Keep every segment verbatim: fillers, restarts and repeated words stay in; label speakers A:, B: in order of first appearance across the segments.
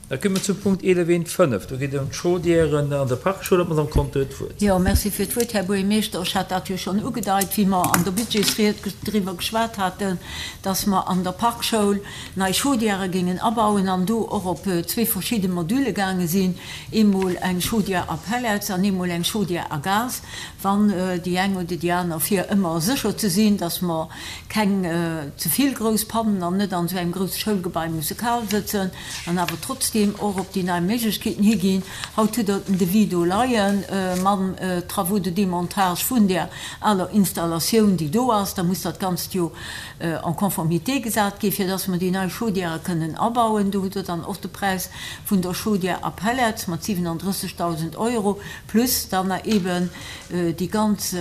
A: Da komme mer zum Punkt eelef eent fënnef. Do geet et ëm d'Chaudièren an der Parkschoul. D'Madame Conter huet d'Wuert.
B: Jo, merci fir d'Wuert, Här Buergermeeschter. Ech hat dat jo schonn ugedeit, wéi mer an der Budgetsried driwwer geschwat haten, dass mer an der Parkschoul nei Chaudièrë géingen abauen an do och op zwee verschidde Module gaange sinn, eemol eng Chaudière à pellets an eemol eng Chaudière à gaz, wann déi eng oder déi aner, fir ëmmer sécher ze sinn, dass mer keng ze vill grouss Pannen an net an esou engem grousse Schoulgebai musse kal sëtzen an awer trotzdeem och op déi nei Méiglechkeeten higinn. Haut hutt Der den Devis do leien, mam Travaux de démontage vun där aler Installatioun, déi do ass. Da muss dat Ganzt jo en conformité gesat ginn, fir dass mer déi nei Chaudièrë kënnen abauen. Do hutt Der dann och de Präis vun der Chaudière à pellets mat siwenandrëssegdausend Euro plus dann eben déi ganz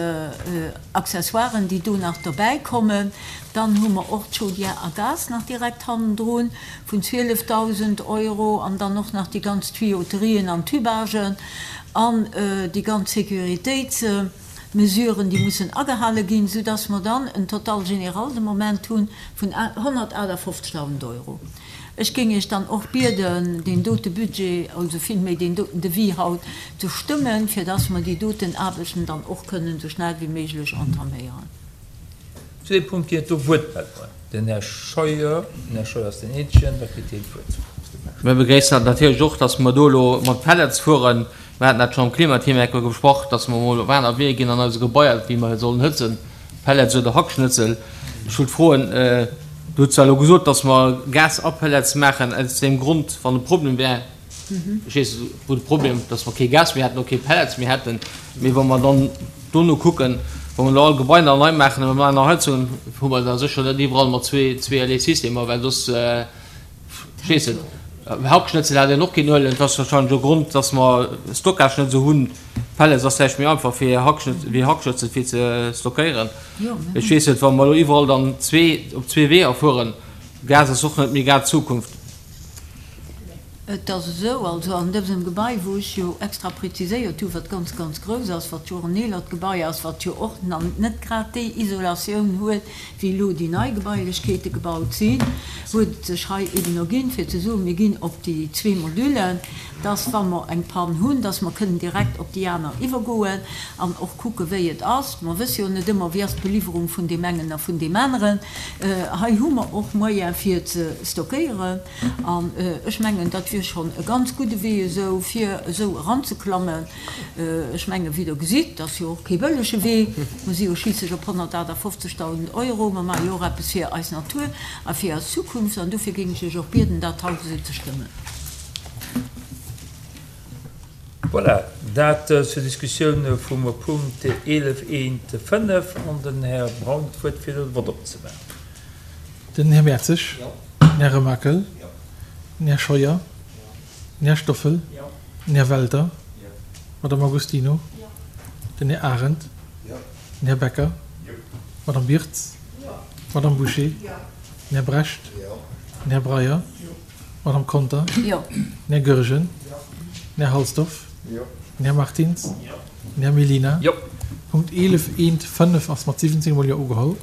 B: Accessoiren, déi do nach derbäikommen. Dann hu mer och d'Chaudière à gaz nach direkt hannendrun vun zwielefdausend Euro an dann och nach déi ganz Tuyauterien an Tubagen an déi ganz Sécuritéitsmesuren, déi mussen agehale ginn, soudass mer dann en Total général de Moment hu vun honnertaachtafoffzegdausend Euro. Ech géing Iech dann och bieden, deen dote Budget, also villméi deen doten Devis haut ze stëmmen, fir dass mer déi doten Aarbechten dann och kënnen esou schnell wéi méiglech entaméieren.
A: Zu deem Punkt ginn et do Wuertmeldungen. Den Här Scheuer, den Här Scheuer ass den eenzegen, da kritt hien d'Wuert.
C: Mir begréissen dat natierlech och, dass mer do elo mat Pellets fueren. Mir haten dat schonn am Klimateam eng Kéier besprach, dass mer emol op aner Weeër ginn an eise Gebaier, wéi mer sollen hëtzen, Pellets oder Hackschnëtzel. Ech wollt froen, Du hutt zwar elo gesot, dass mer Gas a Pellets maachen, aus deem Grond, wann e Problem wär, ech weess net, wou de Problem, dass mer kee Gas méi hätten oder kee Pellets méi hätten, mee wa mer dann dono kucken, wa mer elo all Gebai nach nei maachen a mer maachen nach Heizungen, hu mer da sécher net iwwerall mat zwee, zweeërlee Systemer, well soss, ech weess net, Hackschnëtzel hätt een och keen Uelen. Et ass wahrscheinlech e Grond, dass mer Stockage net esou hunn. Pellets ass vläicht méi einfach fir wéi Hackschnëtzel fir ze stockéieren. Ech weess net, wa mer elo iwwerall dann zwee op zwee Weeër fueren, Gas ass och net méi grad d'Zukunft.
B: Et ass esou, also an dësem Gebai, wou ech jo extra preziséiert hu wat ganz, ganz grouss ass, wat jo och en eelert Gebai ass, wat jo och nach net grad déi Isolatioun huet, wéi elo déi nei Gebailechkeete gebaut sinn, huet et sech hei eben erginn, fir ze soen, mir ginn op déi zwee Modullen, dass, wa mer eng Pann hunn, dass mer kënnen direkt op déi aner iwwergoen an och kucken, wéi et ass. Mer wësse jo net ëmmer, wéi ass d'Beliwwerung vun deem engen a vun deem aneren. Hei hu mer och Moyen fir ze stockéieren. An ech mengen, dat wier schonn e ganz gudde Wee esou, fir esou eranzeklammen. Ech mengen, wéi Der gesitt, dat ass jo och kee bëllege Wee. Mer si jo schliisslech op honnertaachtafoffzegdausend Euro. Mer maache jo och eppes fir eis Natur a fir eis Zukunft. An dofir géing ech Iech och bieden, dat haut esou ze stëmmen.
A: Voilà, dat zur Diskussioun vum Punkt eelef eent fënnef. An den Här Braun huet d'Wuert, fir de Vott opzemaachen.
D: Den Här Mertzig. Den Här Remakel. Den Här Scheuer. Den Här Stoffel. Den Här Welter. D'Madame Agostino. Den Här Arendt. Den Här Becker. D'Madame Birtz. D'Madame Bouché. Den Här Brecht. Den Här Breyer. D'Madame Conter. Den Här Goergen. Den Här Halsdorf. Den Här Martins. Den Här Mellina. Punkt eelef eent fënnef ass mat siwwenzéng mol Jo ugeholl.